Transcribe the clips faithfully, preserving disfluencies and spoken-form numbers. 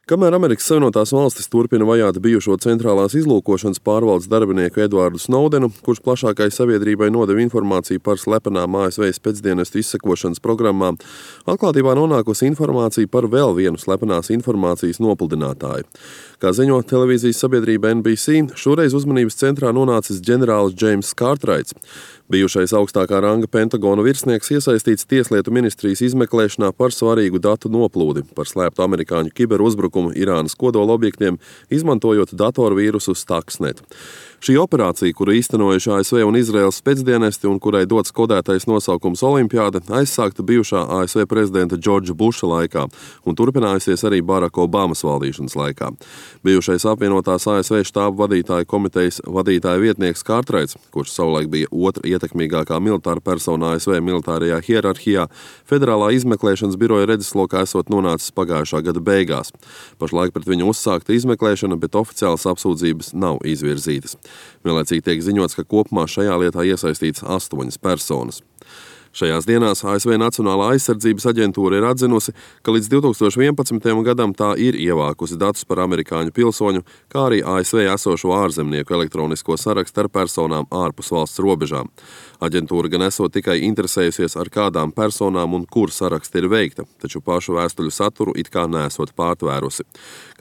Kamēr Amerikas Savienotās Valstis turpina vajāt bijušo centrālās izlūkošanas pārvaldes darbinieku Edvardu Snowdenu, kurš plašākai sabiedrībai nodeva informāciju par slepenām A S V spēcdienestu izsekošanas programmām, atklātībā nonākusi informācija par vēl vienu slepenās informācijas nopludinātāju. Kā ziņo televīzijas sabiedrība N B C, šoreiz uzmanības centrā nonācis ģenerālis Džeimss Kārtraits. Bijušais augstākā ranga Pentagona virsnieks iesaistīts Tieslietu ministrijas izmeklēšanā par svarīgu datu noplūdi, par slēptu amerikāņu kiberuzbrukumu Irānas kodolobjektiem, izmantojot datorvīrusu Stuxnet. Šī operācija, kuru īstenojuši A S V un Izraēlas spēcdienesti un kurai dots kodētais nosaukums Olimpiāda, aizsākta bijušā A S V prezidenta Džordža Buša laikā un turpinājusies arī Baraka Obamas valdīšanas laikā. Bijušais apvienotās A S V štābu vadītāju komitejas vadītāja vietnieks Kārtraits, kurš savulaik bija otra ietekmīgākā militāra persona A S V militārajā hierarhijā, federālā izmeklēšanas biroja redzeslokā esot nonācis pagājušā gada beigās. Pašlaik pret viņu uzsākta izmeklēšana, bet oficiālas apsūdzības nav izvirzītas. Vienlaicīgi tiek ziņots, ka kopumā šajā lietā iesaistīts astoņas personas. Šajās dienās A S V Nacionālā aizsardzības aģentūra ir atzinusi, ka līdz divi tūkstoši vienpadsmitajam gadam tā ir ievākusi datus par amerikāņu pilsoņu, kā arī A S V esošo ārzemnieku elektronisko sarakstu ar personām ārpus valsts robežām. Aģentūra gan esot tikai interesējusies, ar kādām personām un kur saraksti ir veikta, taču pašu vēstuļu saturu it kā nesot pārtvērusi.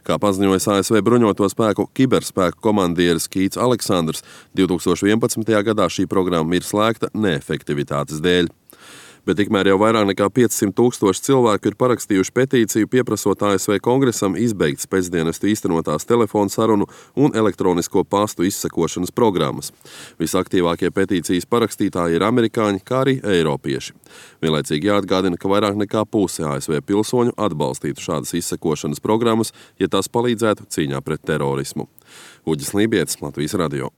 Kā paziņojas A S V bruņoto spēku kiberspēku komandieris Kīts Aleksandrs, divi tūkstoši vienpadsmitajā gadā šī programma ir slēgta neefektivitātes dēļ. Bet tikmēr jau vairāk nekā piecsimt tūkstoši cilvēku ir parakstījuši petīciju, pieprasot A S V kongresam izbeigt spēcdienestu īstenotās telefonu sarunu un elektronisko pastu izsekošanas programmas. Visaktīvākie petīcijas parakstītāji ir amerikāņi, kā arī eiropieši. Vienlaicīgi jāatgādina, ka vairāk nekā puse A S V pilsoņu atbalstītu šādas izsekošanas programmas, ja tās palīdzētu cīņā pret terorismu. Uģis Lībietis, Latvijas radio.